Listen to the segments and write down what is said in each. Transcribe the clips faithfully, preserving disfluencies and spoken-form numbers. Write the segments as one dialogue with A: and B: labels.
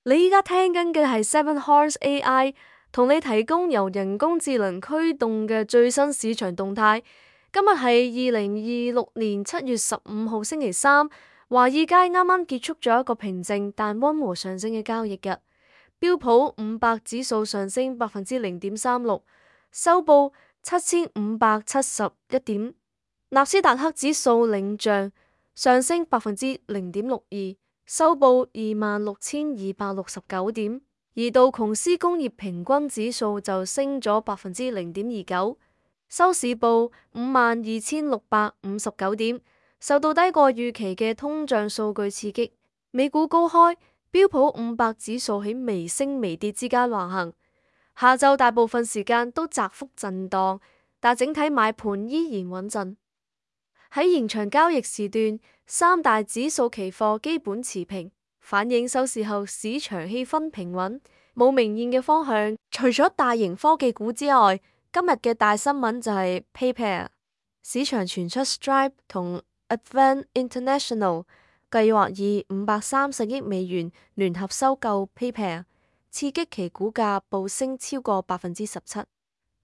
A: 你依家聽緊嘅係 Seven Horse A I， 同你提供由人工智能驅動嘅最新市場動態。今日係二零二六年七月十五號星期三，華爾街啱啱結束咗一個平靜但溫和上升嘅交易日。標普五百指數上升百分之零點三六，收報七千五百七十一點。納斯達克指數領漲，上升百分之零點六二，收報二萬六千二百六十九點。而道瓊斯工業平均指數就升咗百分之零點二九，收市報五萬二千六百五十九點。受到低過預期嘅通脹數據刺激，美股高開，標普五百指數喺微升微跌之間橫行。下晝大部分時間都窄幅震盪，但整體買盤依然穩陣。喺延長交易時段，三大指數期貨基本持平，反映收市後市場氣氛平穩，冇明顯嘅方向。除咗大型科技股之外，今日嘅大新聞就係 PayPal。市場傳出 Stripe 同 Advent International 計劃以五百三十億美元聯合收購 PayPal， 刺激其股價暴升超過百分之十七。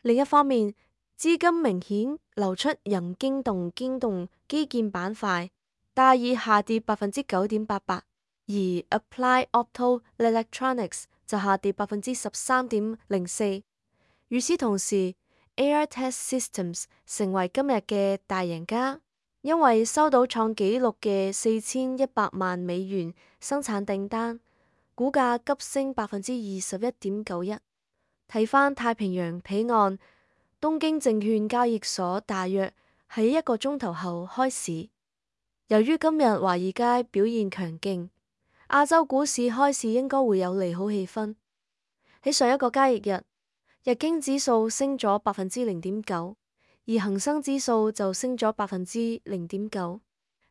A: 另一方面，資金明顯流出人驚動驚動基建板塊，戴爾下跌百分之九點八八，而 Applied Opto Electronics 就下跌百分之十三點零四。與此同時， Aehr Test Systems 成為今日嘅大贏家，因為收到創紀錄嘅四千一百萬美元生產訂單，股價急升百分之二十一點九一。睇返太平洋彼岸，東京證券交易所大約喺一個鐘頭後開市。由於今日華爾街表現強勁，亞洲股市開市應該會有利好氣氛。喺上一個交易日，日經指數升咗百分之零點九，而恒生指數就升咗百分之零點九，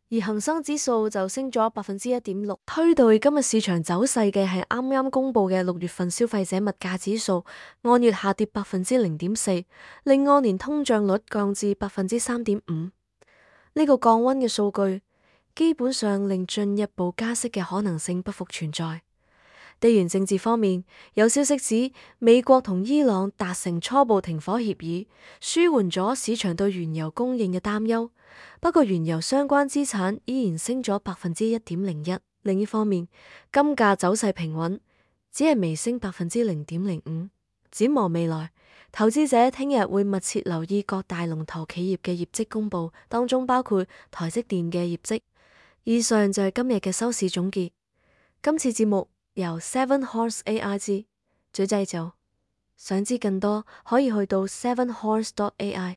A: 而恒生指數就升咗百分之一點六。推動今日市場走勢嘅係啱啱公布嘅六月份消費者物價指數，按月下跌百分之零點四，令按年通脹率降至百分之三點五。呢個降溫嘅數據基本上令進一步加息嘅可能性不復存在。地緣政治方面，有消息指美國同伊朗達成初步停火協議，舒緩咗市場對原油供應嘅擔憂。不過原油相關資產依然升咗百分之一點零一。另一方面，金價走勢平穩，只係微升百分之零點零五。展望未來，投資者聽日會密切留意各大龍頭企業嘅業績公佈，當中包括台積電嘅業績。以上就係今日嘅收市總結。今次節目由 Seven Horse A I 之嘴製造。想知更多，可以去到 seven horse dot A I。